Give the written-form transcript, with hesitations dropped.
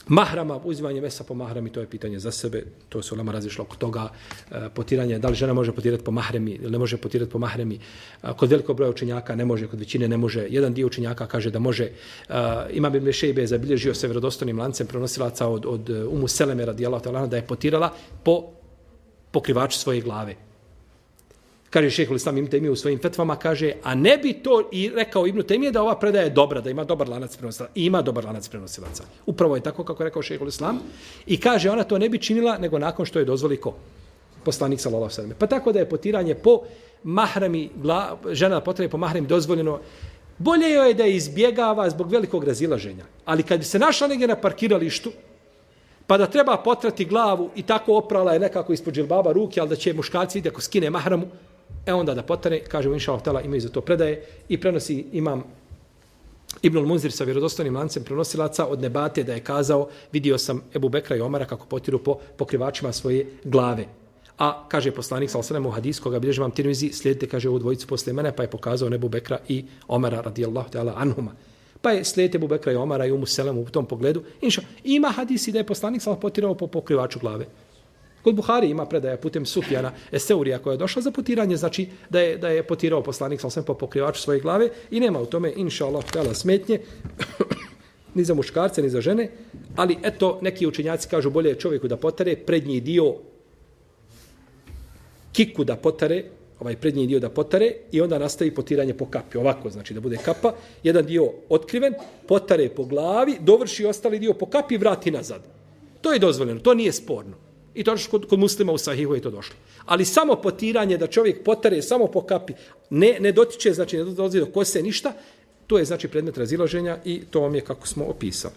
Mahrama, uzimanje mesa po mahrami, to je pitanje za sebe. To su ulema razišlo oko toga. Potiranje, da li žena može potirati po mahrami ili ne može potirati po mahrami. Kod velikog broja učenjaka ne može, kod većine ne može. Jedan dio učenjaka kaže da može. Imam ibn Šejbe je zabilježio se vjerodostojnim lancem prenosilaca od Umu Seleme radijallahu ta'ala da je potirala po pokrivaču svoje glave. Kaže šejhul Islam Ibn Taymije u svojim fetvama, kaže, a ne bi to i rekao Ibn Taymije da ova predaja je dobra, da ima dobar lanac prenosilaca. I ima dobar lanac prenosilaca. Upravo je tako kako je rekao šejhul Islam. I kaže, ona to ne bi činila nego nakon što je dozvoli ko? Poslanik sallallahu alejhi ve sellem. Pa tako da je potiranje po mahrami, žena potrebe po mahrami dozvoljeno. Bolje joj je da je izbjegava zbog velikog razilaženja. Ali kad bi se našla negdje na parkiralištu, pa da treba potrati glavu i tako oprala je nekako ispod džilbaba ruke, ali da će muškarci vidjeti ako skine mahramu, onda da potare, kažemo inša Allah, imaju za to predaje i prenosi imam Ibnul Munzir sa vjerodostojnim lancem prenosilaca od Nebate da je kazao, vidio sam Ebu Bekra i Omara kako potiru po pokrivačima svoje glave. A kaže poslanik sallallahu alejhi ve sellem u hadisu koga bilježi imam Tirmizi, slijedite, kaže, ovu dvojicu posle mene, pa je pokazao Ebu Bekra i Omara radijallahu ta'ala anhuma. Pa je slijedite Ebu Bekra i Omara i Umu Selemu u tom pogledu. Ima hadisi da je poslanik sallallahu potirao po pokrivaču glave. Kod Buhari ima predaja putem Sufjana Eseurija koja je došla za potiranje, znači da je potirao poslanik sallallahu po pokrivaču svoje glave i nema u tome inshallah ta'ala smetnje ni za muškarce ni za žene, ali eto neki učenjaci kažu bolje je čovjeku da potare prednji dio kiku da potare, ovaj prednji dio da potare i onda nastavi potiranje po kapi. Ovako, znači da bude kapa, jedan dio otkriven, potare po glavi, dovrši ostali dio po kapi i vrati nazad. To je dozvoljeno, to nije sporno. I to kod muslima u Sahihu je to došlo. Ali samo potiranje da čovjek potare samo po kapi, ne dotiče, znači ne dolazi do kose ništa, to je znači predmet razilaženja i to vam je kako smo opisali.